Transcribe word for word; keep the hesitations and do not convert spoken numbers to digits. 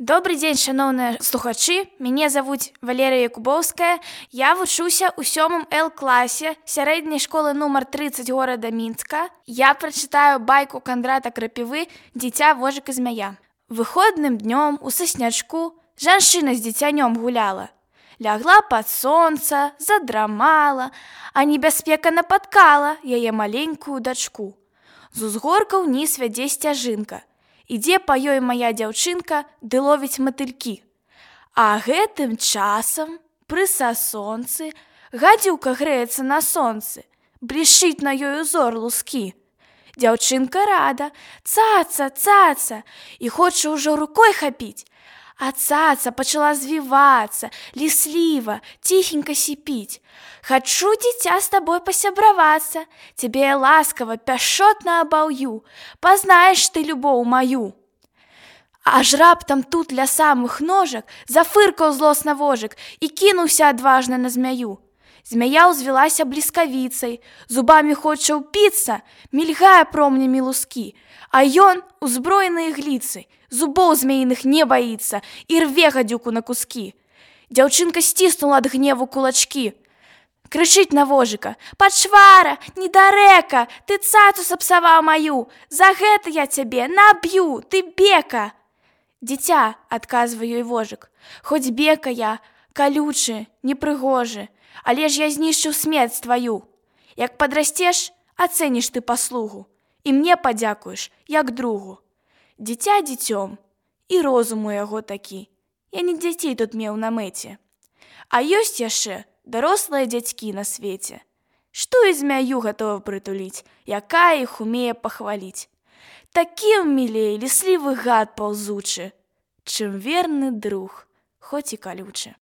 Добрый дзень, шановныя слухачы. Мяне завуць Валерія Якубоўская. Я вучуся ў сёмым Л класе сярэдняй школы нумар трыццаць горада Мінска. Я прачытаю байку Кандрата Крапівы «Дзіця, вожык і змяя». Выходным днём у саснячку жанчына з дзіцянём гуляла. Лягла пад сонца, задрамала, а небяспека напаткала яе маленькую дачку. З узгорка ўніз вядзе сцяжынка. Ідзе па ёй мая дзяўчынка ды ловіць матылькі. А гэтым часам пры сасонцы гадзюка грэецца на сонцы, блішчыць на ёй узор лускі. Дзяўчынка рада, цаца, цаца, і хоча ўжо рукой хапіць. А цаца пачала звівацца, лісліва, ціхенька сіпіць. «Хачу, дзіця, з табой пасябравацца, цябе я ласкава, пяшчотна абаўю, пазнаеш ты любоў маю». Аж раптам тут ля самых ножак зафыркаў злосна вожык і кінуўся адважна на змяю. Змяя ўзвілася бліскавіцай, зубамі хоча ўпіцца, мільгае промнямі лускі, а ён, узброены ігліцай, зубоў змеіных не баіцца і рве гадзюку на кускі. Дзяўчынка сціснула ад гневу кулачкі. Крычыць на вожыка: «Пачвара, недарэка, ты цацу сапсаваў маю, за гэта я цябе наб'ю, ты бека!» «Дзіця», — адказвае ёй вожык, «хоць бека я, калючы, непрыгожы, але ж я знішчыў смерць тваю. Як падрасцеш, ацэніш ты паслугу, і мне падзякуеш, як другу». Дзіця дзіцём, і розум у яго такі, я не дзяцей тут меў на мэце. А ёсць яшчэ дарослыя дзядзькі на свеце, што і змяю гатова прытуліць, якая іх умее пахваліць. Такім мілей ліслівы гад паўзучы, чым верны друг, хоць і калючы.